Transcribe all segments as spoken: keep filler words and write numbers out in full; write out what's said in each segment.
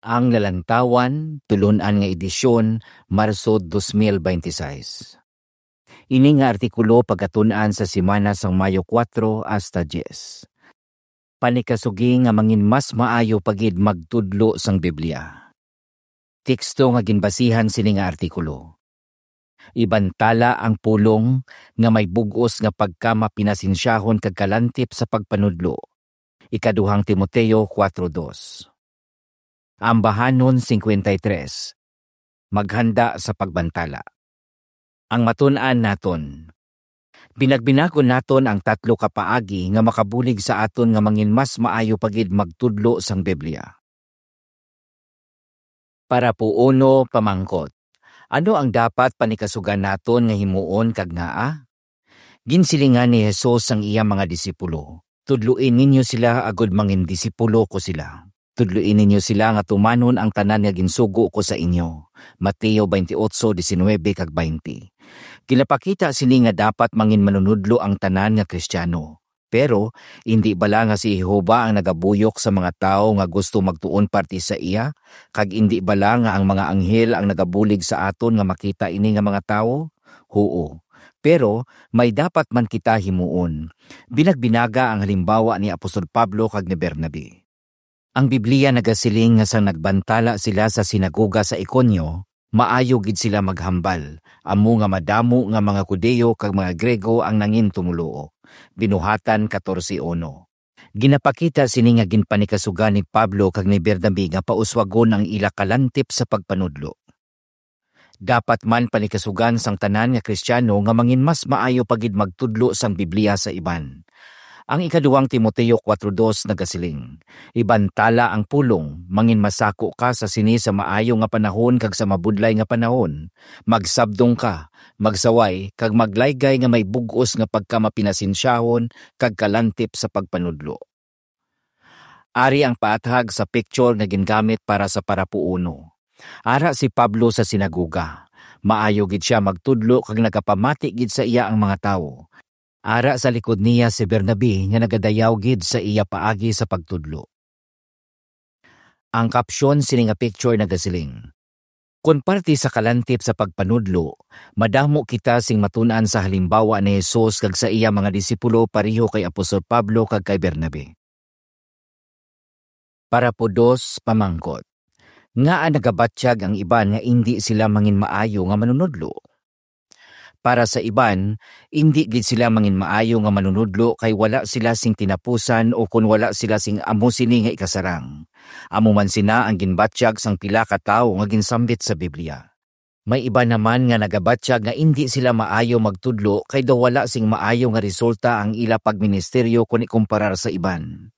Ang Lalantawan, tulun-an nga edisyon, Marso dos mil beintiseis. Ini nga artikulo pagatun-an sa semana sang Mayo kuwatro hasta diyes. Panikasugi nga mangin mas maayo pa gid magtudlo sang Biblia. Teksto nga ginbasihan sini nga artikulo. Ibantala ang pulong nga may bug-os nga pagkamapinasensyahon kag kalantip sa pagpanudlo. Ikaduhang Timoteo kuwatro dos. Ambahanon singkwenta y tres. Maghanda sa pagbantala. Ang matun-an naton. Binagbinagon naton ang tatlo ka paagi nga makabulig sa aton nga mangin mas maayo pa gid magtudlo sang Biblia. Parapo uno, pamangkot. Ano ang dapat panikasugan naton nga himuon kag ngaa? Ginsilingan ni Jesus ang iya mga disipulo, "Tudloi ninyo sila agod mangin disipulo ko sila. Tudloi ninyo sila nga tumanon ang tanan nga ginsugo ko sa inyo." Mateo twenty-eight, diecinuebe kag twenty. Ginapakita sini nga dapat mangin manunudlo ang tanan nga Kristiyano. Pero, indi bala nga si Jehovah ang nagabuyok sa mga tawo nga gusto magtuon parti sa iya? Kag indi bala nga ang mga anghel ang nagabulig sa aton nga makita ini nga mga tawo? Huo. Pero, may dapat man kita himuon. Binagbinaga ang halimbawa ni Apostol Pablo kag ni Bernabe. Ang Biblia nagasiling nga sang nagbantala sila sa sinagoga sa Iconio, maayo gid sila maghambal, amo nga madamo nga mga Judio kag mga Griego ang nangin tumoluo. Binuhatan katorse uno. Ginapakita sini nga ginpanikasugan ni Pablo kag ni Bernabe nga pauswagon ang ila kalantip sa pagpanudlo. Dapat man panikasugan sang tanan nga Kristiyano nga mangin mas maayo pa gid magtudlo sang Biblia sa iban. Ang ikaduhang Timoteo kuwatro dos nagasiling, "Ibantala ang pulong, mangin masako ka sa sini sa maayo nga panahon kag sa mabudlay nga panahon. Magsabdong ka, magsaway, kag maglaygay nga may bug-os nga pagkamapinasensyahon kag kalantip sa pagpanudlo." Ari ang paathag sa picture nga gingamit para sa parapo uno. Ara si Pablo sa sinagoga. Maayo gid sia magtudlo kag nagapamati gid sa iya ang mga tawo. Ara sa likod niya si Bernabe nga nagadayaw gid sa iya paagi sa pagtudlo. Ang caption sini nga picture nagasiling, "Kon parte sa kalantip sa pagpanudlo, madamo kita sing matun-an sa halimbawa ni Jesus kag sa iya mga disipulo pareho kay Apostol Pablo kag kay Bernabe." Parapo dos, pamangkot. Ngaa nagabatyag ang iban nga indi sila mangin maayo nga manunudlo? Para sa iban, indi gid sila mangin maayo nga manunudlo kay wala sila sing tinapusan o kon wala sila sing amo sini nga ikasarang. Amo man sina ang ginbatyag sang pila ka tawo nga ginsambit sa Biblia. May iban naman nga nagabatyag nga indi sila maayo magtudlo kay daw wala sing maayo nga resulta ang ila pagministeryo kon ikumparar sa iban.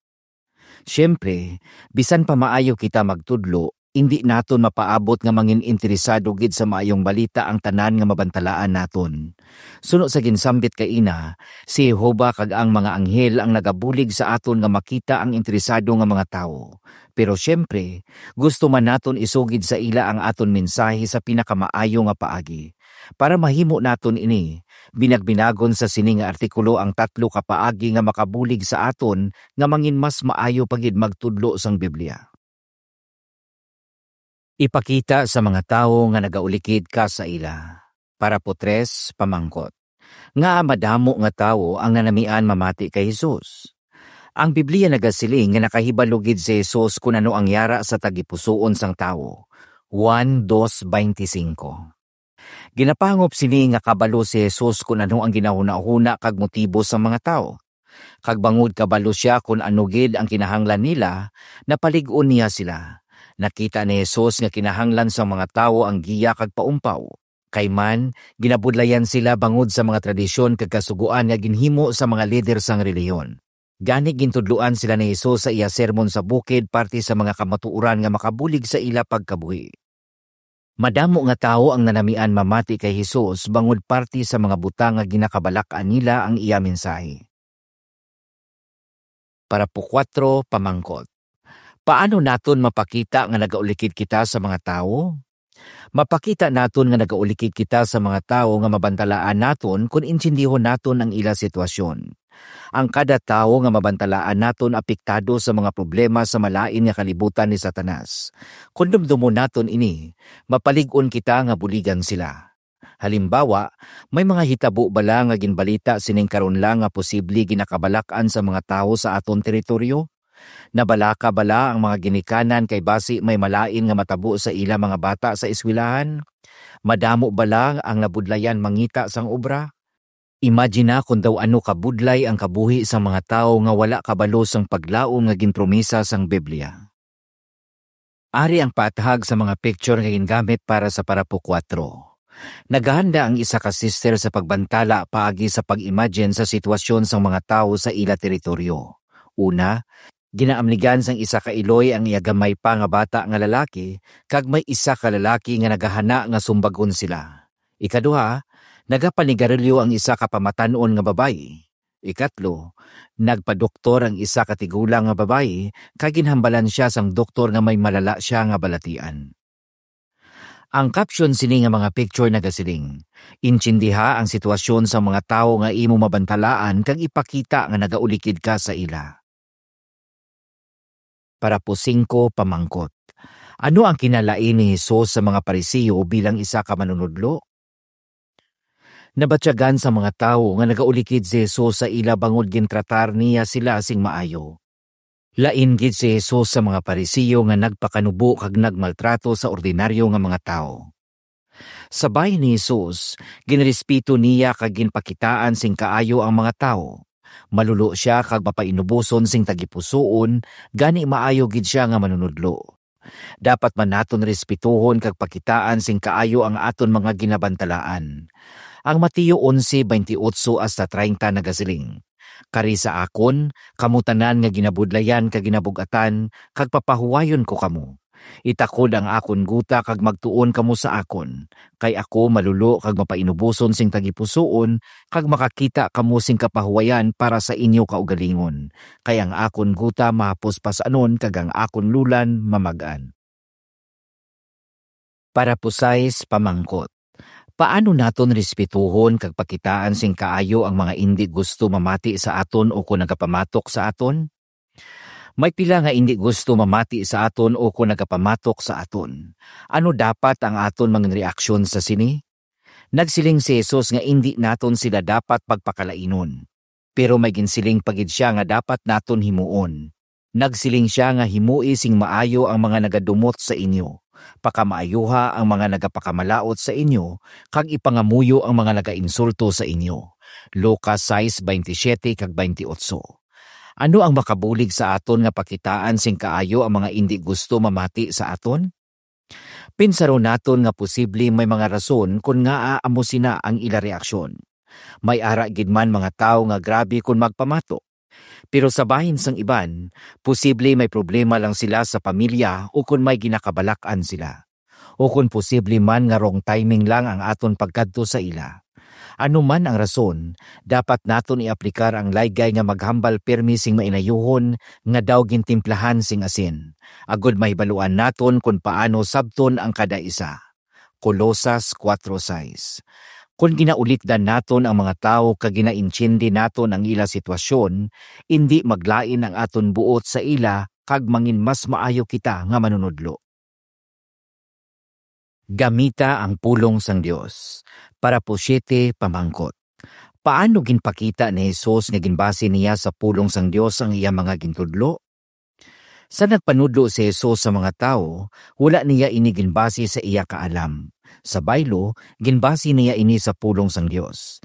Siyempre, bisan pa maayo kita magtudlo, indi naton mapaabot nga mangin interesado gid sa maayong balita ang tanan nga mabantalaan naton. Suno sa ginsambit kaina, si Jehovah kag ang mga anghel ang nagabulig sa aton nga makita ang interesado nga mga tawo. Pero siyempre, gusto man naton isugid sa ila ang aton mensahe sa pinakamaayo nga paagi. Para mahimo naton ini, binagbinagon sa sini nga artikulo ang tatlo ka paagi nga makabulig sa aton nga mangin mas maayo pa gid magtudlo sang Biblia. Ipakita sa mga tawo nga nagaulikid ka sa ila. Parapo tres, pamangkot. Ngaa madamo nga tawo ang nanamian mamati kay Jesus? Ang Biblia nagasiling nga nakahibalo gid si Jesus kon ano ang yara sa tagipusoon sang tawo. Juan dos veinticinco. Ginapahangop sini nga kabalo si Jesus kon ano ang ginahunahuna kag motibo sang mga tawo. Kag bangod kabalo sia kon ano gid ang kinahanglan nila, napalig-on niya sila. Nakita ni Jesus nga kinahanglan sang mga tawo ang giya kag paumpaw. Kay man, ginabudlayan sila bangod sa mga tradisyon kag kasugoan nga ginhimo sa mga lider sang relihiyon. Gani gintudloan sila ni Jesus sa iya Sermon sa Bukid parte sa mga kamatuoran nga makabulig sa ila pagkabuhi. Madamo nga tawo ang nanamian mamati kay Jesus bangod parte sa mga butang nga ginakabalak-an nila ang iya mensahe. Parapo kuwatro, pamangkot. Paano naton mapakita nga nagaulikid kita sa mga tawo? Mapakita naton nga nagaulikid kita sa mga tawo nga mabantalaan naton kon intindihon naton ang ila sitwasyon. Ang kada tawo nga mabantalaan naton apektado sa mga problema sa malain nga kalibutan ni Satanas. Kon dumdomon naton ini, mapalig-on kita nga buligan sila. Halimbawa, may mga hitabo bala nga ginbalita sining karon lang nga posible ginakabalak-an sa mga tawo sa aton teritoryo? Nabalaka bala ang mga ginikanan kay basi may malain nga matabo sa ila mga bata sa eskwelahan? Madamo bala ang nabudlayan mangita sang obra? Imagina kon daw ano kabudlay ang kabuhi sang mga tawo nga wala kabalo sang paglaom nga ginpromisa sang Biblia. Ari ang paathag sa mga picture nga gingamit para sa parapo kuwatro. Naghanda ang isa ka sister sa pagbantala paagi sa pag-imagine sa sitwasyon sang mga tawo sa ila teritoryo. Una, ginaamligan sang isa ka iloy ang iya gamay pa nga bata nga lalaki, kag may isa ka lalaki nga nagahana nga sumbagon sila. Ikaduha, nagapanigarilyo ang isa ka pamatan-on nga babayi. Ikatlo, nagpadoktor ang isa ka tigulang nga babayi, kag ginhambalan sia sang doktor nga may malala sia nga balatian. Ang caption sini nga mga picture nagasiling, "Intindiha ang sitwasyon sang mga tawo nga imo mabantalaan kag ipakita nga nagaulikid ka sa ila." Parapo singko, pamangkot. Ano ang kinalain ni Jesus sa mga Pariseo bilang isa ka manunodlo? Nabatyagan sa mga tawo nga nagaulikid si Jesus sa ila bangod gintratar niya sila sing maayo. Lain gid si Jesus sa mga Pariseo nga nagpakanubo kag nagmaltrato sa ordinaryo nga mga tawo. Sa bahin ni Jesus, ginrespeto niya kag ginpakitaan sing kaayo ang mga tawo. Malulo sia kag mapainuboson sing tagipusoon, gani maayo gid sia nga manunodlo. Dapat man naton respetuhon kag pakitaan sing kaayo ang aton mga ginabantalaan. Ang Mateo onse, baynte otso hasta treinta nagasiling, "Kari sa akon, kamo tanan nga ginabudlayan kag ginabug-atan, kag papahuwayon ko kamo. Itakod ang akon guta kag magtuon kamo sa akon, kay ako malulo kag mapainuboson sing tagipusoon, kag makakita kamo sing kapahuwayan para sa inyo kaugalingon, kay ang akon guta mahapos pas-anon kag ang akon lulan mamag-an." Parapo sais, pamangkot. Paano naton respetuhon kag pakitaan sing kaayo ang mga indi gusto mamati sa aton o kon nagapamatok sa aton? May pila nga indi gusto mamati sa aton o kon nagapamatok sa aton. Ano dapat ang aton mga reaksyon sa sini? Nagsiling si Jesus nga indi naton sila dapat pagpakalainon. Pero may ginsiling pa gid sia nga dapat naton himuon. Nagsiling sia nga, "Himoi sing maayo ang mga nagadumot sa inyo, pakamaayuha ang mga nagapakamalaut sa inyo, kag ipangamuyo ang mga nagainsulto sa inyo." Lucas sais, baynte siyete kag baynte otso. Ano ang makabulig sa aton nga pakitaan sing kaayo ang mga indi gusto mamati sa aton? Pinsaron naton nga posible may mga rason kon ngaa amo sina ang ila reaksyon. May ara gid man mga tawo nga grabe kon magpamatok. Pero sa bahin sang iban, posible may problema lang sila sa pamilya o kon may ginakabalak-an sila. O kon posible man nga wrong timing lang ang aton pagkadto sa ila. Ano man ang rason, dapat naton i-aplikar ang laygay nga maghambal pirme sing mainayuhon nga daw gintimplahan sing asin, agod mahibaluan naton kon paano sabton ang kada isa. Colosas kuwatro sais. Kon ginaulikdan naton ang mga tawo kag ginaintiende naton ang ila sitwasyon, indi maglain ang aton buot sa ila kag mangin mas maayo kita nga manunodlo. Gamita ang pulong sang Dios. Parapo siyete, pamangkot. Paano ginpakita ni Jesus nga ginbase niya sa pulong sang Dios ang iya mga gintudlo? Sa nagpanudlo si Jesus sa mga tawo, wala niya ini ginbase sa iya kaalam. Sa baylo, ginbase niya ini sa pulong sang Dios.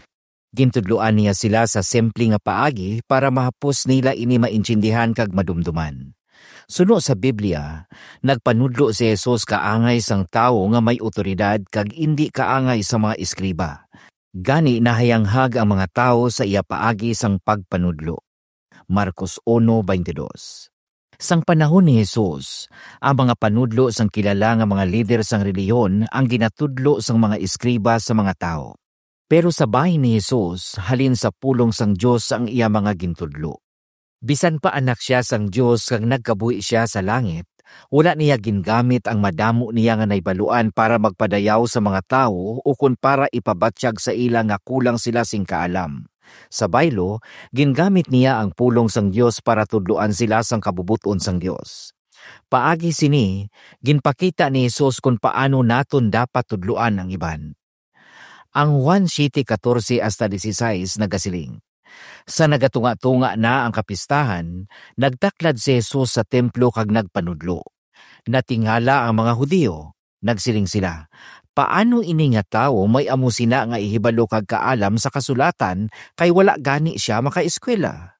Gintudloan niya sila sa simple nga paagi para mahapos nila ini maintindihan kag madumduman. Suno sa Biblia, nagpanudlo si Jesus kaangay sang tawo nga may awtoridad kag indi kaangay sa mga eskriba. Gani, nahayanghag ang mga tawo sa iya paagi sang pagpanudlo. Marcos uno, baynte dos. Sang panahon ni Jesus, ang mga panudlo sang kilala nga mga lider sang relihiyon ang ginatudlo sang mga eskriba sa mga tawo. Pero sa bahin ni Jesus, halin sa pulong sang Dios ang iya mga gintudlo. Bisan pa Anak sia sang Dios kag nagkabuhi sia sa langit, wala niya gingamit ang madamo niya nga nahibaluan para magpadayaw sa mga tawo ukon para ipabatyag sa ila nga kulang sila sing kaalam. Sa baylo, gingamit niya ang pulong sang Dios para tudloan sila sang kabubot-on sang Dios. Paagi sini, ginpakita ni Jesus kon paano naton dapat tudloan ang iban. Ang Juan siete catorce hasta dieciséis nagasiling, "Sa nagatunga-tunga na ang kapistahan, nagtaklad si Jesus sa templo kag nagpanudlo. Natingala ang mga Hudiyo. Nagsiling sila, 'Paano ini nga tawo may amo sina nga ihibalo kag kaalam sa kasulatan, kay wala gani sia makaeskwela?'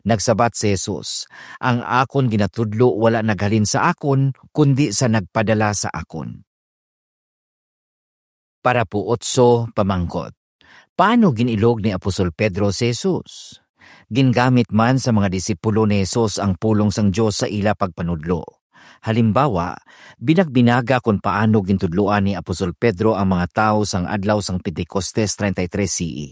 Nagsabat si Jesus, 'Ang akon ginatudlo wala naghalin sa akon, kundi sa nagpadala sa akon.'" Parapo otso, pamangkot, paano gin-ilog ni Apostol Pedro si Jesus? Gingamit man sa mga disipulo ni Jesus ang pulong sang Dios sa ila pagpanudlo. Halimbawa, binagbinaga kon paano gintudloan ni Apostol Pedro ang mga tawo sang adlaw sang Pentecostes treinta y tres C E.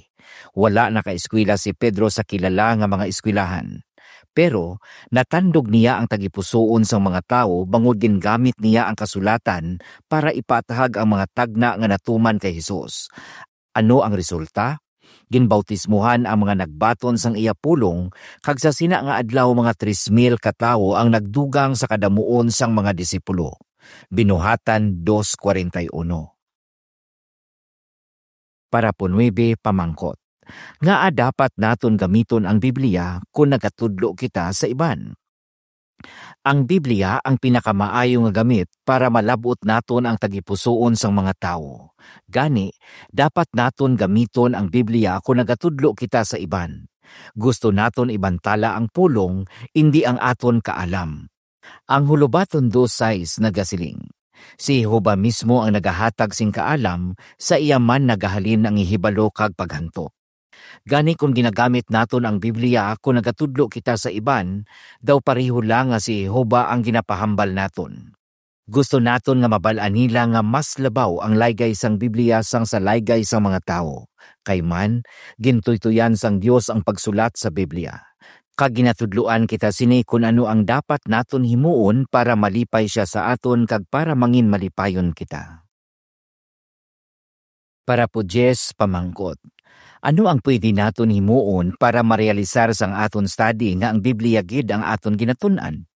Wala nakaeskwela si Pedro sa kilala nga mga eskwelahan. Pero natandog niya ang tagipusoon sang mga tawo bangod gingamit niya ang kasulatan para ipaathag ang mga tagna nga natuman kay Jesus. Ano ang resulta? Ginbautismohan ang mga nagbaton sang iya pulong, kag sa sina nga adlaw mga tres mil ka tawo ang nagdugang sa kadamuon sang mga disipulo. Binuhatan dos cuarenta y uno. Parapo nuebe, pamangkot, ngaa dapat naton gamiton ang Biblia kon nagatudlo kita sa iban? Ang Biblia ang pinakamaayo nga gamit para malab-ot naton ang tagipusoon sang mga tawo. Gani, dapat naton gamiton ang Biblia kon nagatudlo kita sa iban. Gusto naton ibantala ang pulong, indi ang aton kaalam. Ang Hulobaton dos sais nagasiling, "Si Jehovah mismo ang nagahatag sing kaalam, sa iya man nagahalin ang ihibalo kag paghantop." Gani, kon ginagamit naton ang Biblia kon nagatudlo kita sa iban, daw pareho lang nga si Jehovah ang ginapahambal naton. Gusto naton nga mabal-an nila nga mas labaw ang laygay sang Biblia sang sa laygay sang mga tawo. Kay man, gintuytoyan sang Dios ang pagsulat sa Biblia. Kag ginatudloan kita sini kon ano ang dapat naton himuon para malipay sia sa aton kag para manginmalipayon kita. Parapo diyes, pamangkot, ano ang pwede naton himuon para marealisar sang aton study nga ang Biblia gid ang aton ginatun-an?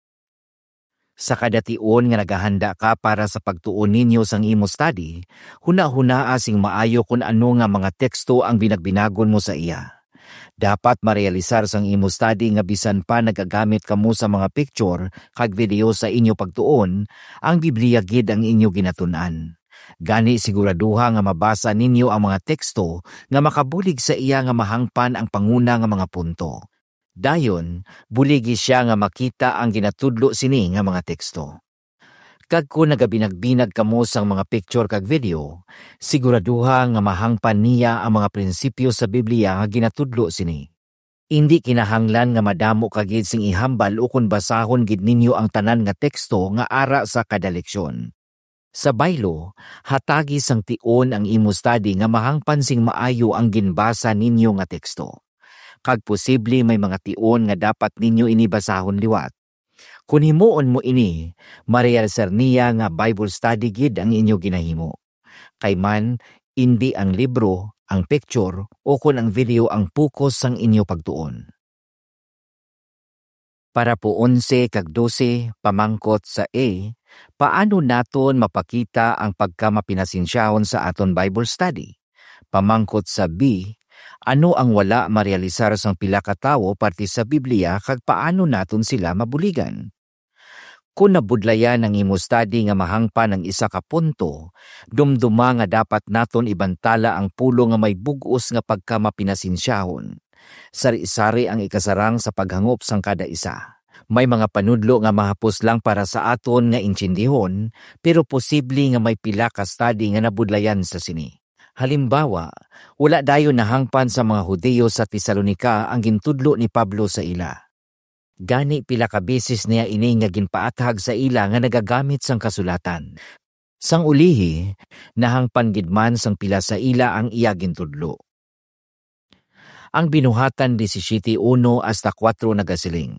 Sa kada tion nga nagahanda ka para sa pagtuon ninyo sang imo study, hunahunaa sing maayo kon ano nga mga teksto ang binagbinagon mo sa iya. Dapat marealisar sang imo study nga bisan pa nagagamit kamo sa mga picture kag video sa inyo pagtuon, ang Biblia gid ang inyo ginatun-an. Gani, siguraduha nga mabasa ninyo ang mga teksto nga makabulig sa iya nga mahangpan ang panguna nga mga punto. Dayon, buligi sia nga makita ang ginatudlo sini nga mga teksto. Kag kon nagabinagbinag kamo sang mga picture kag video, siguraduha nga mahangpan niya ang mga prinsipyo sa Biblia nga ginatudlo sini. Indi kinahanglan nga madamo ka gid sing ihambal ukon basahon gid ninyo ang tanan nga teksto nga ara sa kada leksyon. Sa baylo, hatagi sang tion ang imo study nga mahangpan sing maayo ang ginbasa ninyo nga teksto. Kag posible may mga tion nga dapat ninyo ini basahon liwat. Kon himuon mo ini, marealisar niya nga Bible study gid ang inyo ginahimo. Kay man, indi ang libro, ang picture, ukon ang video ang pukos sang inyo pagtuon. Parapo onse kag dose, pamangkot sa A, paano naton mapakita ang pagkamapinasensyahon sa aton Bible study? Pamangkot sa B, ano ang wala marealisar sang pila ka tawo parte sa Biblia, kag paano naton sila mabuligan? Kon nabudlayan ang imo study nga mahangpan ang isa ka punto, dumduma nga dapat naton ibantala ang pulong nga may bug-os nga pagkamapinasensyahon. Sari-sari ang ikasarang sa paghangop sang kada isa. May mga panudlo nga mahapos lang para sa aton nga intindihon, pero posible nga may pila ka study nga nabudlayan sa sini. Halimbawa, wala dayon nahangpan sa mga Hudiyo sa Tesalonica ang gintudlo ni Pablo sa ila. Gani, pila ka beses niya ini nga ginpaathag sa ila nga nagagamit sang kasulatan. Sang ulihi, nahangpan gid man sang pila sa ila ang iya gintudlo. Ang Binuhatan disisiete uno hasta kuwatro nagasiling,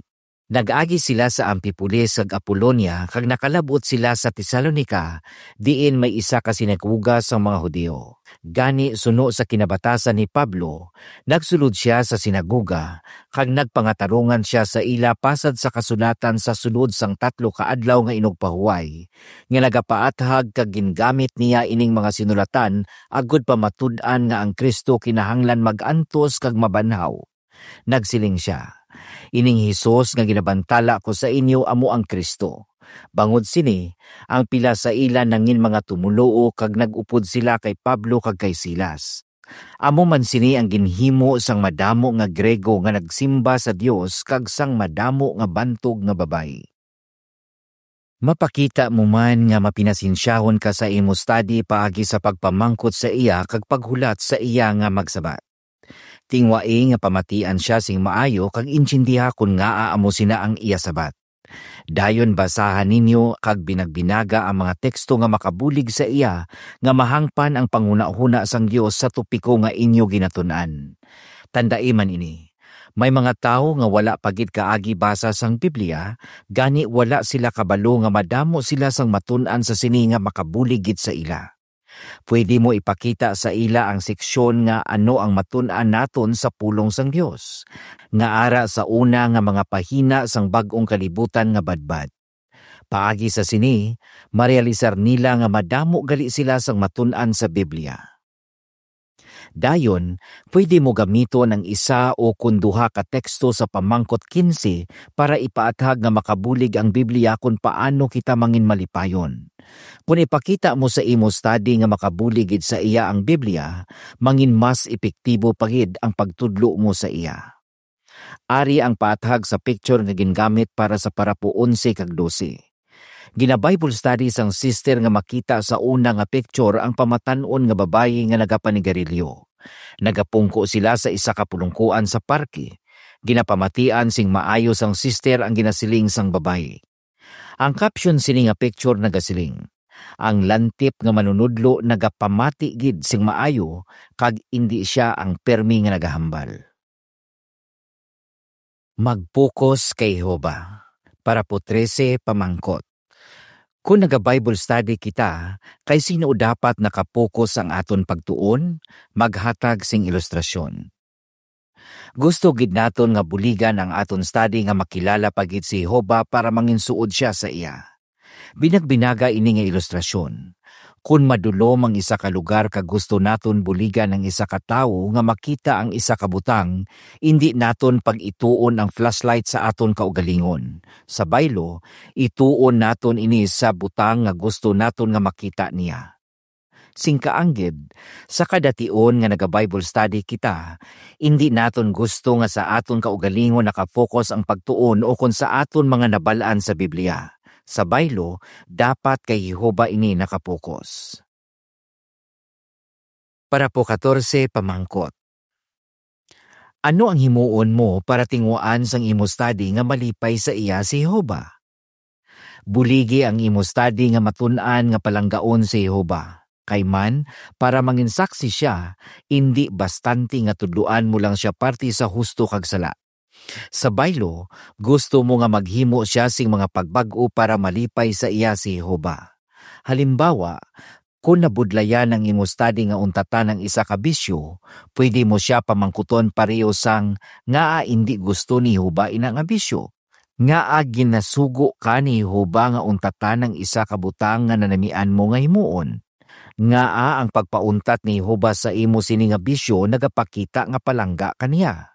Nag-agi sila sa Amfipolis kag Apolonia kag nakalab-ot sila sa Tesalonica, diin may isa ka sinagoga sang mga Hudiyo. Gani, suno sa kinabatasan ni Pablo, nagsulod sia sa sinagoga, kag nagpangatarungan sia sa ila pasad sa kasulatan sa sulod sang tatlo ka adlaw nga inugpahuway, nga nagapaathag kag gingamit niya ining mga sinulatan agod pamatud-an nga ang Cristo kinahanglan mag-antos kag mabanhaw. Nagsiling sia, "Ining Jesus nga ginabantala ko sa inyo amo ang Cristo." Bangod sini, ang pila sa ila nangin mga tumoluo kag nag-upod sila kay Pablo kag kay Silas. Amo man sini ang ginhimo sang madamo nga Griego nga nagsimba sa Dios kag sang madamo nga bantog nga babayi. Mapakita mo man nga mapinasensyahon ka sa imo study paagi sa pagpamangkot sa iya kag paghulat sa iya nga magsabat. Tingwai nga pamatian sia sing maayo kag intindiha kon ngaa amo sina ang iya sabat. Dayon basaha ninyo kag binagbinaga ang mga teksto nga makabulig sa iya nga mahangpan ang panghunahuna sang Dios sa topiko nga inyo ginatun-an. Tandai man ini, may mga tawo nga wala pa gid kaagi basa sang Biblia, gani wala sila kabalo nga madamo sila sang matun-an sa sini nga makabulig gid sa ila. Pwede mo ipakita sa ila ang seksyon nga Ano ang Matun-an Naton sa Pulong sang Dios, nga ara sa una nga mga pahina sang Bag-ong Kalibutan nga badbad. Paagi sa sini, marealisar nila nga madamo gali sila sang matun-an sa Biblia. Dayon, pwede mo gamiton ang isa o kon duha ka teksto sa Pamangkot quince para ipaathag nga makabulig ang Biblia kon paano kita mangin malipayon. Kon ipakita mo sa imo study nga makabulig gid sa iya ang Biblia, mangin mas epektibo pa gid ang pagtudlo mo sa iya. Ari ang paathag sa picture nga gingamit para sa parapo onse kag dose. Gina-Bible study sang sister nga makita sa una nga picture ang pamatan-on nga babayi nga nagapanigarilyo. Nagapungko sila sa isa ka pulungkoan sa parke. Ginapamatian sing maayo sang sister ang ginasiling sang babayi. Ang caption sini nga picture nagasiling, "Ang lantip nga manunodlo nagapamati gid sing maayo, kag indi sia ang permi nga nagahambal." Magpokos kay Jehovah. Parapo trese, pamangkot. Kon naga-Bible study kita, kay sino dapat nakapokos ang aton pagtuon? Maghatag sing ilustrasyon. Gusto gid naton nga buligan ang aton study nga makilala pa gid si Jehovah para manginsuod sia sa iya. Binagbinaga ini nga ilustrasyon. Kon madulom ang isa ka lugar kag gusto naton buligan ang isa ka tawo nga makita ang isa ka butang, indi naton pag-ituon ang flashlight sa aton kaugalingon. Sa baylo, ituon naton ini sa butang nga gusto naton nga makita niya. Sing kaanggid, sa kada tion nga naga-Bible study kita, indi naton gusto nga sa aton kaugalingon nakafocus ang pagtuon ukon sa aton mga nabal-an sa Biblia. Sa baylo, dapat kay Jehovah ini nakapokos. Parapo katorse, pamangkot. Ano ang himuon mo para tinguhaan sang imo study nga malipay sa iya si Jehovah? Buligi ang imo study nga matun-an nga palanggaon si Jehovah. Kay man, para manginsaksi sia, indi bastante nga tudloan mo lang sia parte sa husto kag sala. Sa baylo, gusto mo nga maghimo sia sing mga pagbag-o para malipay sa iya si Jehovah. Halimbawa, kon nabudlayan ang imo study nga untatan ang isa ka bisyo, pwede mo sia pamangkuton pareho sang ngaa indi gusto ni Jehovah ina nga bisyo. Ngaa ginasugo ka ni Jehovah nga untatan ang isa ka butang nga nanamian mo nga himuon? Ngaa ang pagpauntat ni Jehovah sa imo sini nga bisyo nagapakita nga palangga ka niya?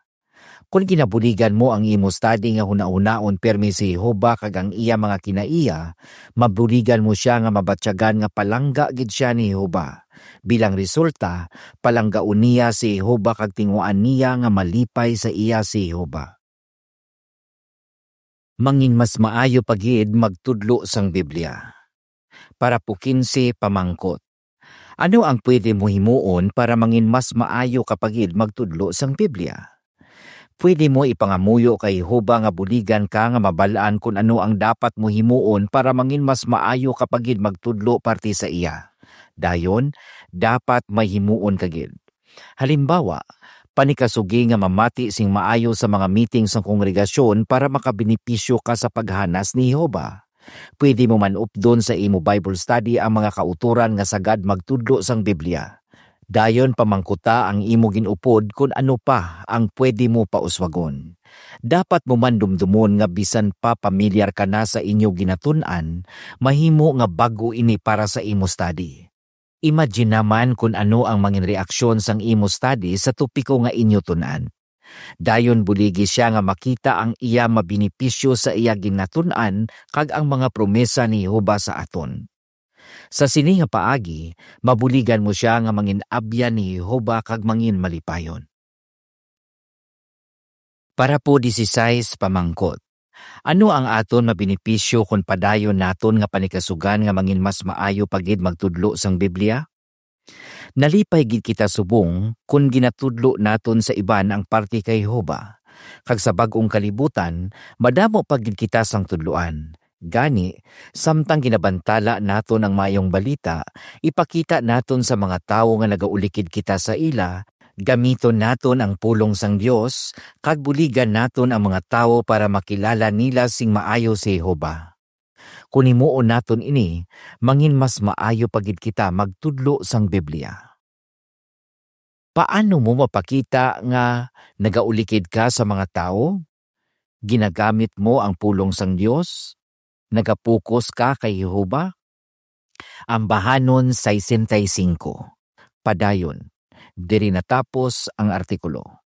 Kon ginabuligan mo ang imo study nga hunahunaon pirme si Jehovah kag ang iya mga kinaiya, mabuligan mo sia nga mabatyagan nga palangga gid sia ni Jehovah. Bilang resulta, palanggaon niya si Jehovah kag tinguhaan niya nga malipay sa iya si Jehovah. Mangin mas maayo pa gid magtudlo sang Biblia. Parapo kinse, pamangkot. Ano ang pwede mo himuon para mangin mas maayo ka pa gid magtudlo sang Biblia? Pwede mo ipangamuyo kay Jehovah nga buligan ka nga mabal-an kon ano ang dapat mo himuon para mangin mas maayo ka pa gid magtudlo parte sa iya. Dayon, dapat may himuon ka gid. Halimbawa, Panikasugi nga mamati sing maayo sa mga meeting sang kongregasyon para makabenepisyo ka sa paghanas ni Jehovah. Pwede mo man updon sa imo Bible study ang mga kautoran nga sagad magtudlo sang Biblia. Dayon pamangkuta ang imo gin-upod kon ano pa ang pwede mo pauswagon. Dapat mo man dumdumon nga bisan pa pamilyar ka na sa inyo ginatun-an, mahimo nga bag-o ini para sa imo study. Imagine naman kon ano ang mangin reaksyon sang imo study sa topiko nga inyo tun-an. Dayon buligi sia nga makita ang iya mabenepisyo sa iya ginatun-an kag ang mga promesa ni Jehovah sa aton. Sa sini nga paagi, mabuligan mo sia nga mangin-abyan ni Jehovah kag mangin malipayon. Parapo dieciséis, pamangkot. Ano ang aton mabenepisyo kon padayon naton nga panikasugan nga mangin mas maayo pa gid magtudlo sang Biblia? Nalipay gid kita subong kon ginatudlo naton sa iban ang parte kay Jehovah. Kag sa bag-ong kalibutan, madamo pa gid kita sang tudloan. Gani, samtang ginabantala naton ang Maayong Balita, ipakita naton sa mga tawo nga nagaulikid kita sa ila, gamiton naton ang pulong sang Dios, kag buligan naton ang mga tawo para makilala nila sing maayo si Jehovah. Kon himuon naton ini, mangin mas maayo pa gid kita magtudlo sang Biblia. Paano mo mapakita nga nagaulikid ka sa mga tawo? Ginagamit mo ang pulong sang Dios? Nagapukos ka kay Jehovah? Ambahanon sesenta y cinco. Padayon, diri natapos ang artikulo.